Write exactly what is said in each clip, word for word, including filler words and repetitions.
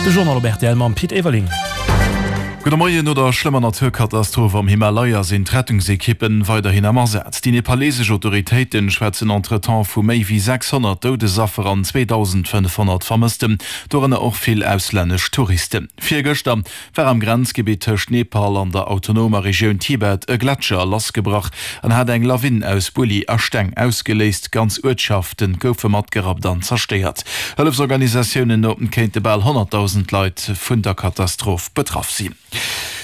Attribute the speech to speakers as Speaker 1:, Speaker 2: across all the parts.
Speaker 1: De Journal op rtl mam Pit Everling.
Speaker 2: Gudde Moien, No der schlëmmer Naturkatastroph am Himalaya sinn d'Rettungsekippen weiderhin am Asaz. Déi nepalesesch Autoritéiten schwätzen entretemps vu méi wéi sechshonnert Doudesaffer an zweedausendfënnefhonnert Vermëssten, dorënner och vill auslännesch Touristen. Virgëschter war am Grenzgebitt tëscht Nepal an der autonomer Regioun Tibet e Gletscher lassgebrach an hat eng Lawin aus Bulli a Steng ausgeléist. Ganz Uertschafte goufe matgerappt an zerstéiert. Hëllefsorganisatiounen no kéinte bal honnertdausend Leit vun der Katastroph betraff sinn.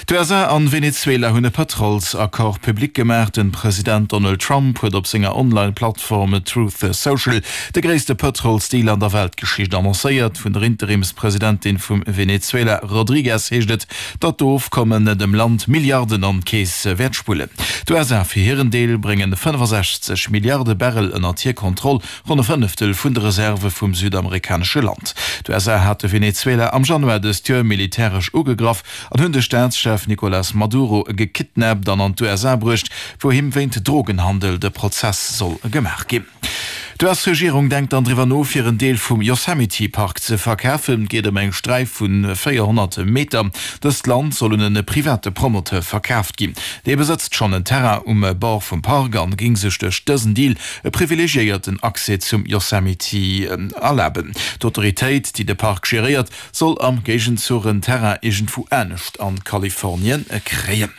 Speaker 2: D'USA an Venezuela hunn e Pëtrolsaccord public gemaach. Den President Donald Trump huet op senger Online-Plattform Truth Social de gréisste Pëtrolsdeal an der Weltgeschicht annoncéiert. Vun der Interimspresidentin vum Venezuela Rodriguez heescht et, datt d'Ofkommen dem Land Milliarden an d'Keess wäert spullen. D'USA fir hiren Deel bréngen fënnefasechzeg Milliarde Barrel ënnert hir Kontroll, ronn e Fënneftel vun de Reserve vum südamerikanesche Land. D'USA hate Venezuela am Januar dëst Joer militäresch ugegraff an hunn de Staatschef Nicolas Maduro gekidnappt an an d'USA bruecht, wou him wéint Drogenhandel de Prozess soll gemaach ginn. D'US-Regierung denkt dann driwwer no, fir en Deel vum Yosemite Park ze verkafen. Et geet ëm eng Sträif vu véierhonnert Meter. Dëst Land soll un e private Promoteur verkaaft ginn. Dee besëtzt schonn en Terrain um Bord vum Park an géing sech duerch dësen Deal e privilegiéierten Accès zum Yosemite erlaben. D'Autoritéit, déi de Park geréiert, soll am Géigenzuch en Terrain iergendwou anescht an Kalifornien kréien.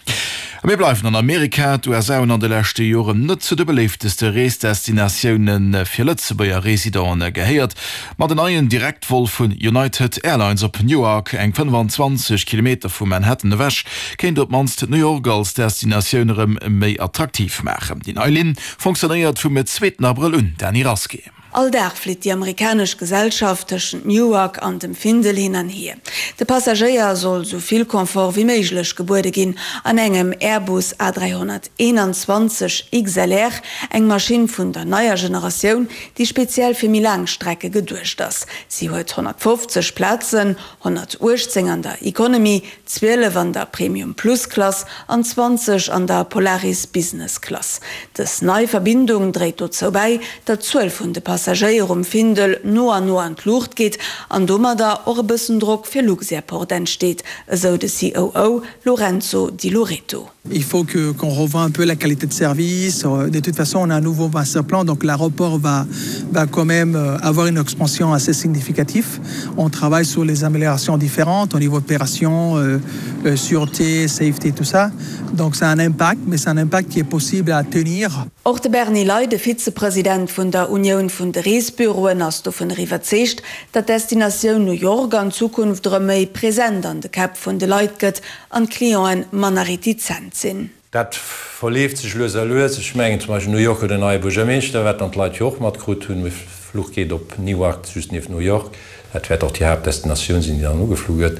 Speaker 2: A mir bleiwen an Amerika. D'USA hunn an de leschte Joren net zu de beléifteste Reesdestinatioune fir Lëtzebuerger Residenten gehéiert. Ma den neien Direktvol vun United Airlines op Newark, eng fënnefenzwanzeg Kilometer vu Manhattan ewech, kéint op d'mannst New York als Destinatioun erëm méi attraktiv maachen. Déi nei Linn fonctionnéiert vum zweeten Abrëll un. Dany Rasqué.
Speaker 3: All Dag flitt déi amerikanesch Gesellschaft tëschent Newark an dem Findel hin an hier. De Passagéier soll sou vill Confort wéi méiglech gebuede ginn an engem Airbus A dräihonnerteenanzwanzeg XLR, eng Maschinn vun der neier Generatioun, déi speziell fir méi laang Strecke geduecht ass. Si huet honnertfofzeg Plazen, honnertuechtzéng an der Economy, zwielef an der Premium Plus Klass an zwanzeg an der Polaris Business Klass. Dës nei Verbindung dréit dozou bäi, datt d'Zuel vun de Passagéier um Findel no an no an d'Luucht geet an domadder och e bëssen Drock fir Luxairport entsteet, esou de C O O Lorenzo Di Loreto.
Speaker 4: Il faut que qu'on revoie un peu la qualité de service. De toute façon, on a un nouveau master plan, donc l'aéroport va, va quand même avoir une expansion assez significative. On travaille sur les améliorations différentes au niveau opération, euh, euh, sûreté, safety, tout ça. Donc c'est un impact, mais c'est un impact qui est possible à tenir.
Speaker 3: Och de Bernie Ley, de Vizepresident vun der Unioun vun de Reesbüroen, ass dovun iwwerzeegt, datt d'Destinatioun New York an Zukunft erëm méi present an de Käpp vun de Leit gëtt an d'Clienten manner retizent sinn.
Speaker 5: Dat verleeft sech lues a lues. Ech mengen zum Beispill New York huet en neie Buergermeeschter, wat dann d'Leit jo och matkritt hunn. De Fluch geet op Newark, just nieft New York. Dat wäert och déi Haaptdestinatioun sinn, déi dann ugeflu gëtt.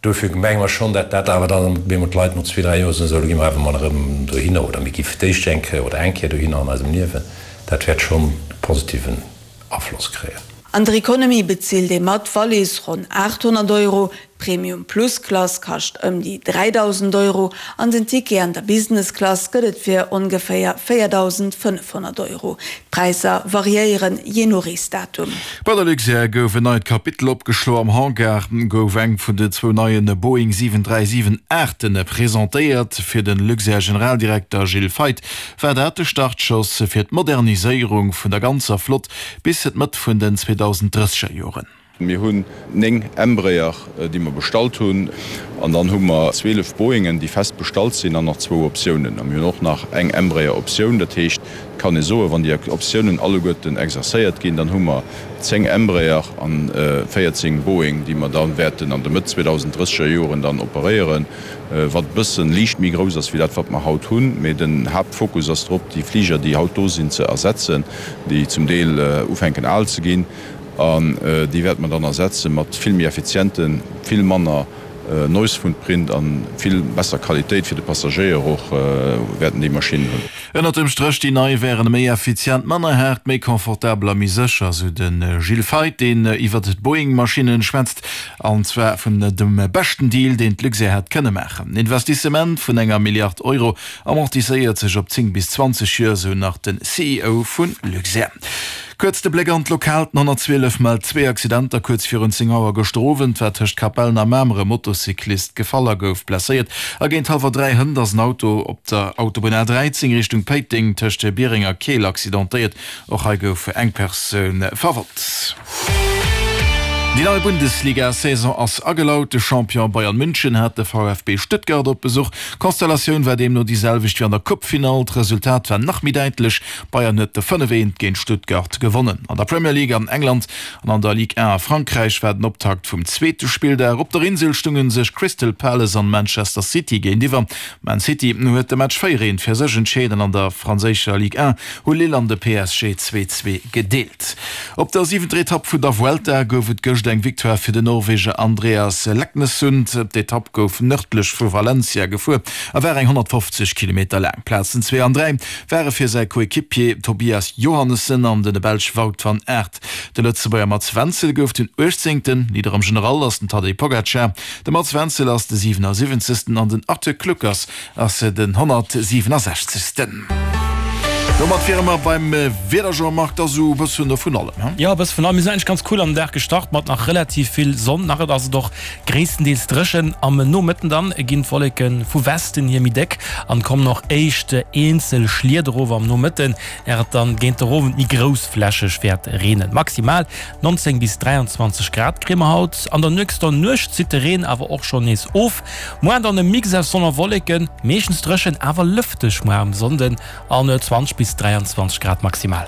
Speaker 5: Dofir menge mer schonn, dat dat awer dann op eemol d'Leit no zwee, dräi Joer soen, esou, elo gi mer awer mol erëm dohinner oder mir gi fir d'éischt eng Kéier oder eng Kéier dohinner an eisem Liewen. Dat wäert schonn e positiven Afloss kréien.
Speaker 3: An der Economy bezilt ee mat Wallis ronn aathonnert Euro, d'Premium Plus Klass kascht ëm déi dräidausend Euro an den Ticket an der Business Klass gëtt et fir ongeféier véierdausendfënnefhonnert Euro. D'Präisser variéieren jee no Reesdatum.
Speaker 2: Bei der Luxair gouf en neit Kapitel opgeschloen. Am Hangar gouf eng vun den zwou neien Boeing siwen dräi siwen Aachten presentéiert. Fir de Luxair-Generaldirekter Gilles Feith war dat de Startschoss fir d'Moderniséierung vun der ganzer Flott bis d'Mëtt vun den zweedausend drësseger Joren.
Speaker 6: Mir hunn néng Embraer, déi mer bestallt hunn, an dann hu mer zwielef Boeingen, déi fest bestallt sinn, an nach zwou Optiounen. A mir hunn och nach eng Embraer-Optioun. Dat heescht, et kann ee soen, wann déi Optiounen alleguerten exercéiert ginn, dann hu mer zéng Embraer a véierzéng Boeing, déi mer da wäerten an de Mëtt zweedausenddrësseger Joren dann operéieren, wat e bësse liicht méi grouss ass wéi dat, wat mer haut hunn. Mee den Haaptfokus ass drop, déi Fliger, déi haut do sinn, ze ersetzen, déi zum Deel ufänken al ze ginn. An déi wäerte mer dann ersetze mat vill méi effizienten, vill manner Noise Footprint a vill besser Qualitéit fir de Passagéier och wäerten déi Maschinnen hunn.
Speaker 2: Ënnert dem Stréch, déi nei wären méi effizient, manner haart, méi confortabel a méi sécher, sou de Gilles Feith, deen iwwer d'Boeing-Maschinnen schwätzt, an zwar vun dem beschten Deal, deen d'Luxair hätt kënne maachen. Den Investissement vun enger Milliard Euro amortiséiert sech op zéng bis zwanzeg Joer, sou nach de C E O vu Luxair. Kuerz de Bléck an d'Lokalt, Den honnertzwielef mellt zwee Accidenter kuerz virun zéng Auer gëschter Owend war tëscht Capellen a Mamer e Motocyclist gefall a gouf blesséiert. A géint hallwer dräi hënt ass en Auto op der Autobunn A dräizéng Richtung Péiteng tëscht Biereng a Keel accidentéiert. Och hei gouf eng Persoun verwonnt. Déi nei Bundesliga-Saison ass agelaut. De Champion Bayern München hat de V F B Stuttgart op Besuch. D'Konstellatioun war deemno déi selwecht wéi an der Coupe-Finall. D'Resultat war nach méi däitlech, Bayern huet de fënnef eent géint Stuttgart gewonnen. An der Premier League an England an an der Ligue un a Frankräich war den Optakt vum zweete Spilldag. Op der Insel stounge sech Crystal Palace an Manchester City géintiwwer. Man City huet de Match véier eent fir sech entscheet an an der franséischer Ligue un hu Lille an de P S G zwee zwee gedeelt. Op der siwenter Etapp vun der Vuelta gouf et gëscht eng Victoire fir den Norweger Andreas Leknessund. D'Etapp gouf nërdlech vu Valencia gefuer a war eng honnertfofzeg Kilometer laang. Plazen zwee an dräi ware fir säi Coequipier Tobias Johannessen an de Belsch Wout van Aert. De Lëtzebuerger Mats Wenzel gouf den uechtzéngten. Leader am General ass den Tadej Pogacar. De Mats Wenzel ass de siwenassiwwenzegsten an den Arthur Kluckers ass den honnertsiwenesechzegsten. Domat wiere mer beim Wieder, Jean-Marc, da sou e bëssen vun allem, he?
Speaker 1: Jo, e bësse vun allem. Mir sinn eigentlech ganz cool an den Dag gestart mat nach relativ vill Sonn. Nach et ass et och gréisstendeels dréchen. Am Nomëtten dann ginn d'Wolleke vu Westen hier méi déck an kommen och éischt eenzel Schlieder erof am Nomëtten, är et dann géint der Owend méi groussflächeg wäert reenen. Maximal neunzéng bis dräianzwanzeg Grad kréie mer haut. An der nächster Nuecht zitt de Reen awer och schonn nees of. Muar dann e Mix aus Sonn a Wolleken, meeschtens dréchen, awer lëfteg muar um Sonnden an zwanzeg bis dräianzwanzeg Grad maximal.